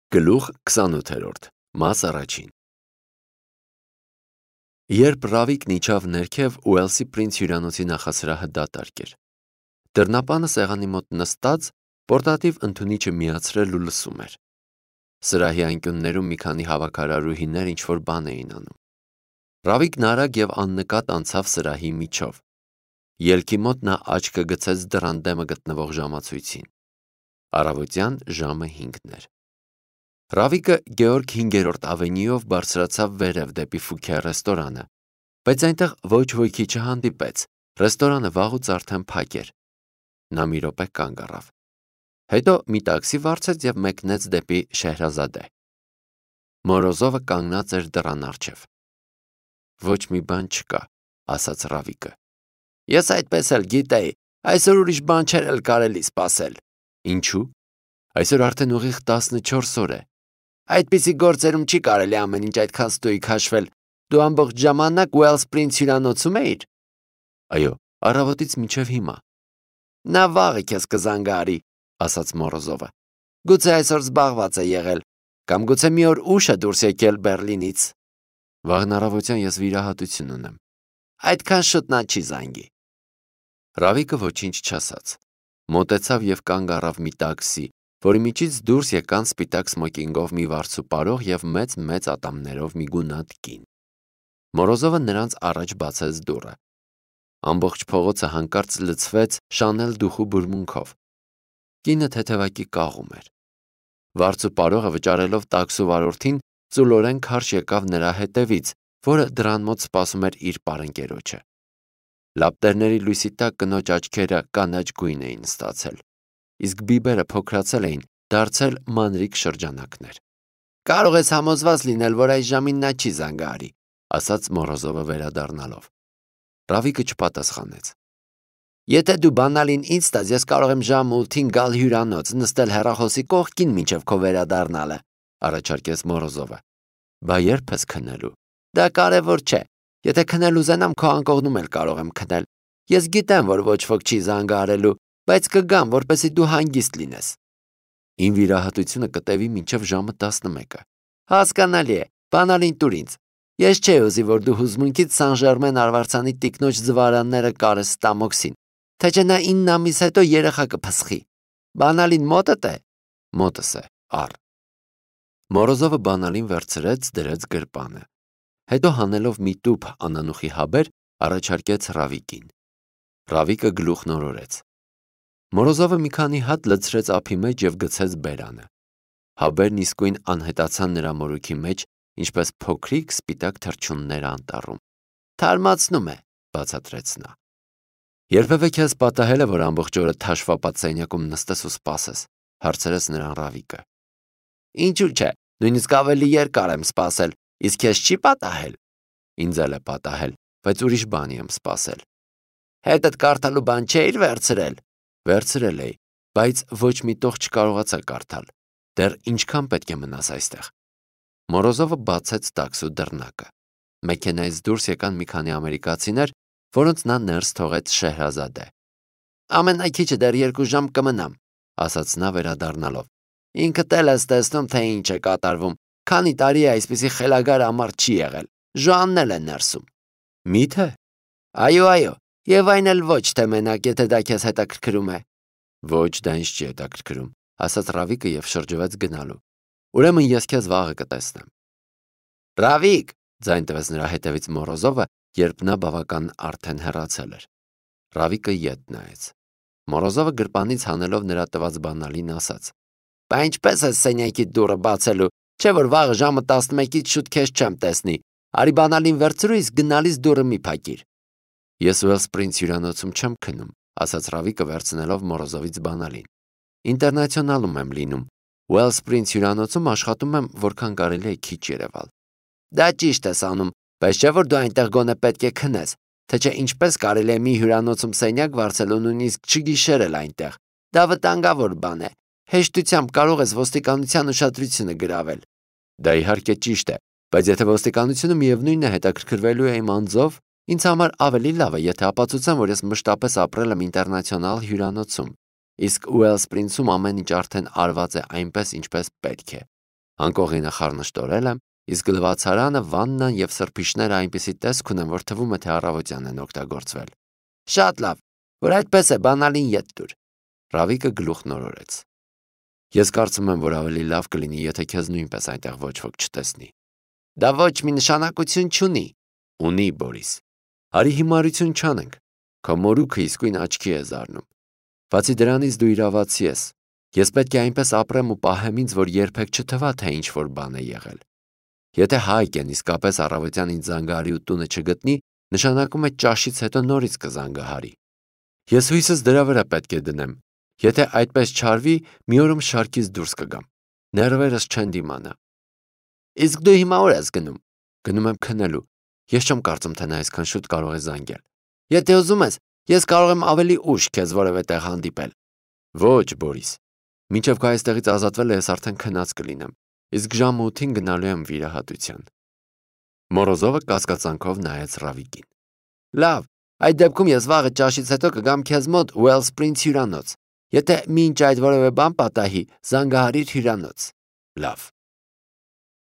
Գլուխ 28 Մաս առաջին Երբ Ռավիկն իջավ ներքև, Ուելսի Պրինց հյուրանոցի նախասրահը դատարկ էր։ Դռնապանը սեղանի մոտ նստած, պորտատիվ ընդունիչը միացրել ու լսում էր։ Սրահի անկյուններում մի քանի հավաքարարուհիներ ինչ-որ բան էին անում։ Ռավիկն արագ և աննկատ անցավ սրահի միջով։ Ելքի մոտ նա աչքը գցեց դռան դեմը գտնվող ժամացույցին։ Առավոտյան ժամը 5-ն էր։ Ռավիկը Գեորգ 5-րդ ավենյուով բարձրացավ վերև դեպի Ֆուքե ռեստորանը, բայց այնտեղ ոչ ոքի չհանդիպեց, ռեստորանը վաղուց արդեն փակ էր։ Նա մի րոպե կանգ առավ։ Հետո մի տաքսի վարձեց և մեկնեց դեպի Շեհրազադե։ Մորոզովը կանգնած էր դռան առջև։ Ոչ մի բան չկա, ասաց Ռավիկը։ Ես այդպես էլ գիտեի, այսօր ուրիշ բան չէր էլ կարելի սպասել։ Ինչու՞։ Այսօր արդեն ուղիղ 14 օր է։ Այդպիսի գործերում չի կարելի ամեն ինչ այդքան ստույգ հաշվել։ Դու ամբողջ ժամանակ Ուելս Պրինց հյուրանոցում էիր։ Այո, առավոտից մինչև հիմա։ Նա վաղը քեզ կզանգարի, ասաց Մորոզովը։ Գուցե այսօր զբաղված է եղել, կամ գուցե մի օր ուշ է դուրս եկել Բերլինից։ Վաղն առավոտյան ես վիրահատություն ունեմ։ Այդքան շուտ նա չի զանգի։ Ռավիկը ոչինչ չասաց։ Մոտեցավ և կանգ առավ մի տաքսի, որի միջից դուրս եկան սպիտակ սմոկինգով մի վարձուպարող և մեծ ատամներով մի գունատ կին։ Մորոզովը նրանց առաջ բացեց դուռը։ Ամբողջ փողոցը հանկարծ լցվեց Շանել դուխու բուրմունքով։ Կինը թեթևակի կաղում էր։ Վարձուպարողը վճարելով տաքսու վարորդին, ծուլորեն քարշ եկավ նրա հետևից, որը դռան մոտ սպասում էր իր պարընկերոջը։ Լապտերների լույսի տակ կնոջ աչքերը կանաչ գույն էին ստացել, իսկ բիբերը փոքրացել էին, դարձել մանրիկ շրջանակներ։ Կարող ես համոզված լինել, որ այս ժամին նա չի զանգարի, ասաց Մորոզովը վերադառնալով։ Ռավիկը չպատասխանեց։ Եթե դու բանալին ինձ տաս, ես կարող եմ ժամ 8-ին գալ հյուրանոց, նստել հեռախոսի կողքին մինչև քո վերադառնալը, առաջարկեց Մորոզովը։ Բա երբ ես քնելու։ Դա կարևոր չէ։ Եթե քնել ուզենամ, քո անկողնում էլ կարող եմ քնել։ Ես գիտեմ, որ ոչ ոք չի զանգարելու, բայց կգամ, որպեսզի դու հանգիստ լինես։ Իմ վիրահատությունը կտևի մինչև ժամը 11-ը։ Հասկանալի է, բանալին տուր ինձ։ Ես չէի ուզի, որ դու հուզմունքից Սան Ժերմեն արվարձանի տիկնոջ զվարանները կարես Ստամոքսին, թե չէ նա 9 ամիս հետո երեխա կփսխի։ Բանալին մոտդ է։ Մոտս է, առ։ Մորոզովը բանալին վերցրեց, դրեց գրպանը։ Հետո հանելով մի տուփ անանուխի հաբեր, առաջարկեց Ռավիկին։ Ռավիկը գլուխն օրորեց։ Մորոզովը մի քանի հատ լցրեց ափի մեջ և գցեց բերանը։ Հաբերն իսկույն անհետացան նրա մորուքի մեջ, ինչպես փոքրիկ սպիտակ թռչուններ անտառում։ Թարմացնում է, բացատրեց նա։ Երբևէ քեզ պատահել է, որ ամբողջ օրը թաշվապատ սենյակում նստես ու սպասես, հարցրեց նրան Ռավիկը։ Ինչու՞ չէ, նույնիսկ ավելի երկար եմ սպասել, իսկ քեզ չի պատահել։ Ինձ էլ է պատահել, բայց ուրիշ բանի եմ սպասել։ Հետդ կարդալու բան չէիր վերցրել։ Վերցրել էի, բայց ոչ մի տող չկարողացա կարդալ։ Դեռ ինչքան պետք է մնաս այստեղ։ Մորոզովը բացեց տաքսու դռնակը։ Մեքենայից դուրս եկան մի քանի ամերիկացիներ, որոնց նա ներս թողեց Շեհրազադե։ Ամենաքիչը դեռ 2 ժամ կմնամ, ասաց նա վերադառնալով։ Ինքդ էլ ես տեսնում, թե ինչ է կատարվում։ Քանի տարի է այսպիսի խելագար ամառ չի եղել։ Ժոանն էլ է ներսում։ Մի՞թե։ Այո, եւ այն էլ ոչ թե մենակ, եթե դա քեզ հետաքրքրում է։ Ոչ, դա ինձ չի հետաքրքրում, ասաց Ռավիկը և շրջվեց գնալու։ Ուրեմն ես քեզ վաղը կտեսնեմ։ Ռավիկ, ձայն տվեց նրա հետևից Մորոզովը, երբ նա բավական արդեն հեռացել էր։ Ռավիկը ետ նայեց։ Մորոզովը գրպանից հանելով նրա տված բանալին ասաց. Բա ինչպես է սենյակի դուռը բացելու, չէ՞ որ վաղը ժամը 11-ից շուտ քեզ չեմ տեսնի։ Արի բանալին վերցրու, իսկ գնալիս դուռը մի փակիր։ Ես Ուելս Պրինց հյուրանոցում չեմ քնում, ասաց Ռավիկը վերցնելով Մորոզովից բանալին։ Ինտերնացիոնալում եմ լինում։ Ուելս Պրինց հյուրանոցում աշխատում եմ, որքան կարելի է քիչ երևալ։ Դա ճիշտ ես անում, բայց չէ՞ որ դու այնտեղ գոնե պետք է քնես, թե չէ ինչպես կարելի է մի հյուրանոցում սենյակ վարձել ու նույնիսկ չգիշերել այնտեղ։ Դա վտանգավոր բան է։ Հեշտությամբ կարող ես ոստիկանության ուշադրությունը գրավել։ Դա իհարկե ճիշտ է, բայց եթե ոստիկանությունը միևնույն է հետաքրքրվելու է իմ անձով, ինձ համար ավելի լավ է, եթե ապացուցեմ, որ ես մշտապես ապրել եմ ինտերնացիոնալ հյուրանոցում, իսկ Ուելս Պրինցում ամեն ինչ արդեն արված է այնպես, ինչպես պետք է։ Անկողինը խառնշտորել եմ, իսկ լվացարանը, վաննան և սրբիչները այնպիսի տեսք ունեն, որ թվում է, թե առավոտյան են օգտագործվել։ Շատ լավ, որ այդպես է, բանալին ետ տուր։ Ռավիկը գլուխն օրորեց։ Ես կարծում եմ, որ ավելի լավ կլինի, եթե քեզ նույնպես այնտեղ ոչ ոք չտեսնի։ Դա ոչ մի նշանակություն չունի։ Ունի, Բորիս։ Արի հիմարություն չանենք։ Քո մորուքը իսկույն աչքի է զարնում։ Բացի դրանից դու իրավացի ես։ Ես պետք է այնպես ապրեմ ու պահեմ ինձ, որ երբեք չթվա, թե ինչ-որ բան է եղել։ Եթե Հայկեն իսկապես առավոտյան ինձ զանգահարի ու տունը չգտնի, նշանակում է ճաշից հետո նորից կզանգահարի։ Ես հույսս դրա վրա պետք է դնեմ։ Եթե այդպես չարվի, մի օրում շարքից դուրս կգամ։ Ներվերս չեն դիմանա։ Իսկ դու հիմա ուր ես գնում։ Գնում եմ քնելու։ Ես չեմ կարծում, թե նա այսքան շուտ կարող է զանգել։ Եթե ուզում ես, ես կարող եմ ավելի ուշ քեզ որևէ տեղ հանդիպել։ Ոչ, Բորիս։ Մինչև քո այստեղից ազատվելը ես արդեն քնած կլինեմ, իսկ ժամը 8-ին գնալու եմ վիրահատության։ Մորոզովը կասկածանքով նայեց Ռավիկին։ Լավ, այդ դեպքում ես վաղը ճաշից հետո կգամ քեզ մոտ Wellspring հյուրանոց։ Եթե մինչ այդ որևէ բան պատահի, զանգահարիր հյուրանոց։ Լավ։